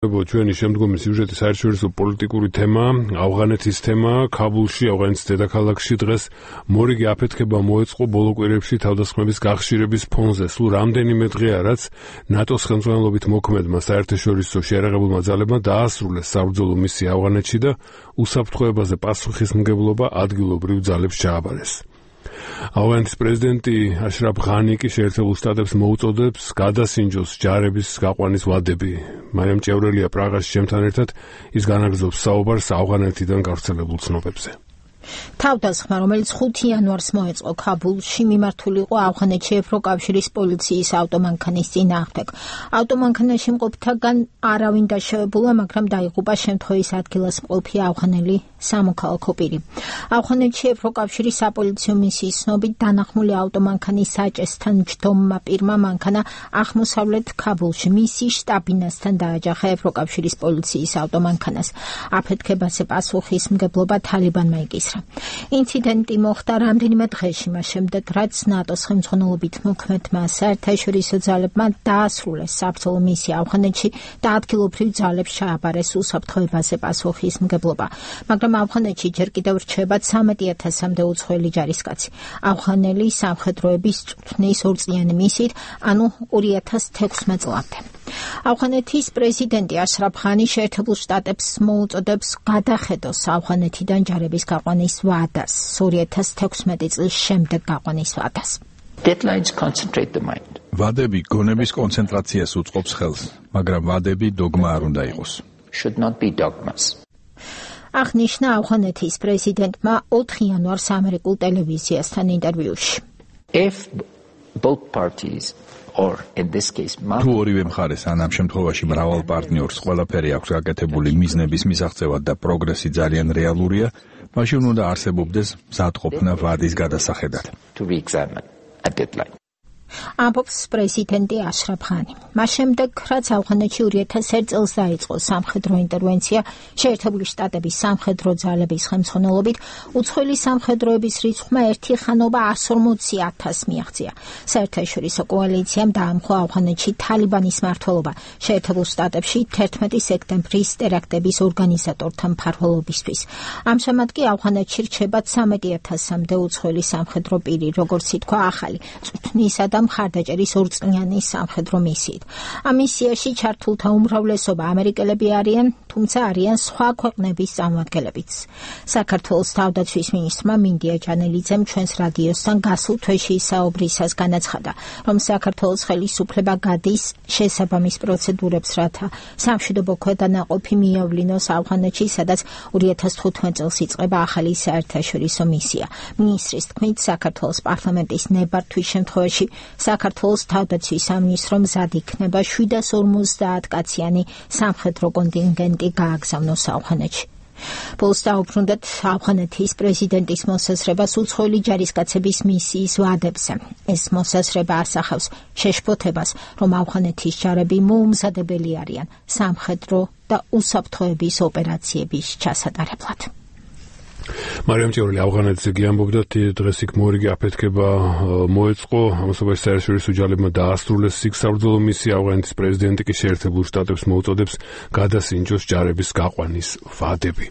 ჩვენი შემდგომი სიუჟეტი საერთაშორისო პოლიტიკური თემა, ავღანეთის თემა, ქაბულში, ავღანეთის დედაქალაქში დღეს მორიგი აფეთქება მოეწყო ბოლო კვირებში თავდასხმების გახშირების ფონზე. სულ რამდენიმე დღეა, რაც ნატოს ხელმძღვანელობით მოქმედმა საერთაშორისო შეიარაღებულმა ძალებმა დაასრულეს საბრძოლო მისია ავღანეთში და უსაფრთხოებაზე პასუხისმგებლობა ადგილობრივ ძალებს ჩააბარეს. ავღანეთის პრეზიდენტი აშრაფ ღანი კი შეერთებულ შტატებს მოუწოდებს გადასინჯოს ჯარების გაყვანის ვადები. მარიამ ჭევრელია პრაღაში ჩემთან ერთად, ის განაგრძობს საუბარს ავღანეთიდან გავრცელებულ ცნობებზე. თავდასხმა, რომელიც 5 იანვარს მოეწყო ქაბულში, მიმართული იყო ავღანეთში ევროკავშირის პოლიციის ავტომანქანის წინააღმდეგ. ავტომანქანაში მყოფთაგან არავინ დაშავებულა, მაგრამ დაიღუპა შემთხვევის ადგილას მყოფი ავღანელი სამოქალაქო პირი. ავღანეთში ევროკავშირის საპოლიციო მისიის ცნობით დანახმული ავტომანქანის საჭესთან ჯდომმა პირმა მანქანა აღმოსავლეთ ქაბულში მისი შტაბინასთან დააჯახა ევროკავშირის პოლიციის ავტომანქანას. აფეთქებაზე პასუხისმგებლობა თალიბანმა იკისრა. ინციდენტი მოხდა რამდენიმე დღეში მას შემდეგ, რაც ნატოს ხელმძღვანელობით მოქმედმა საერთაშორისო ძალებმა დაასრულეს საბრძოლო მისია ავღანეთში და ადგილობრივ ძალებს ჩააბარეს უსაფრთხოებაზე პასუხისმგებლობა. მაგრამ ავღანეთში ჯერ კიდევ რჩება 13,000-მდე უცხოელი ჯარისკაცი. ავღანელი სამხედროების წვრთნის ორწლიანი მისიით, ანუ 2016 წლამდე. ავღანეთის პრეზიდენტი აშრაფ ღანი შეერთებულ შტატებს მოუწოდებს გადახედოს ავღანეთიდან ჯარების გაყვანის ვადას, 2016 წლის შემდეგ გაყვანის ვადას. ვადები გონების კონცენტრაციას უწყობს ხელს, მაგრამ ვადები დოგმა არ უნდა იყოს. აღნიშნა ავღანეთის პრეზიდენტმა 4 იანვარს ამერიკულ ტელევიზიასთან ინტერვიუში. თუ ორივე მხარეს ან ამ შემთხვევაში მრავალ პარტნიორს ყველაფერი აქვს გაკეთებული მიზნების მისაღწევად და პროგრესი ძალიან რეალურია, მაშინ უნდა არსებობდეს მზადყოფნა ვადის გადასახედად. ამბობს პრეზიდენტი აშრაფ ღანი. მას შემდეგ, რაც ავღანეთში 2001 წელს დაიწყო სამხედრო ინტერვენცია შეერთებული შტატების სამხედრო ძალების ხელმძღვანელობით, უცხოელი სამხედროების რიცხვმა ერთი ხანობა 140,000 მიაღწია. საერთაშორისო კოალიციამ დაამხო ავღანეთში თალიბანის მმართველობა შეერთებულ შტატებში 11 სექტემბრის ტერაქტების ორგანიზატორთა მფარველობისთვის. ამჟამად კი ავღანეთში რჩება 13,000-მდე უცხოელი სამხედრო პირი, როგორც ითქვა ახალი წვრთნისა და მხარდაჭერის ორწლიანი სამხედრო მისიით. ამ მისიაში ჩართულთა უმრავლესობა ამერიკელები არიან, თუმცა არიან სხვა ქვეყნების წარმომადგენლებიც. საქართველოს თავდაცვის მინისტრმა მინდია ჯანელიძემ ჩვენს რადიოსთან გასულ თვეში საუბრისას განაცხადა, რომ საქართველოს ხელისუფლება გადის შესაბამის პროცედურებს, რათა სამშვიდობო ქვედანაყოფი მიავლინოს ავღანეთში, სადაც 2015 წელს იწყება ახალი საერთაშორისო მისია. მინისტრის თქმით, საქართველოს პარლამენტის ნებართვის შემთხვევაში საქართველოს თავდაცვის სამინისტრო მზად იქნება 750 კაციანი სამხედრო კონტინგენტი გააგზავნოს ავღანეთში. ბოლოს დაუბრუნდეთ ავღანეთის პრეზიდენტის მოსაზრებას უცხოელი ჯარისკაცების მისიის ვადებზე. ეს მოსაზრება ასახავს შეშფოთებას, რომ ავღანეთის ჯარები მოუმზადებელი არიან სამხედრო და უსაფრთხოების ოპერაციების ჩასატარებლად. მარიამ ჭევრელი ავღანეთზე გიამბობდა, დღეს იქ მორიგი აფეთქება მოეწყო, ამასობაში საერთაშორისო ძალებმა დაასრულეს იქ საბრძოლო მისია. ავღანეთის პრეზიდენტი კი შეერთებულ შტატებს მოუწოდებს გადასინჯოს ჯარების გაყვანის ვადები.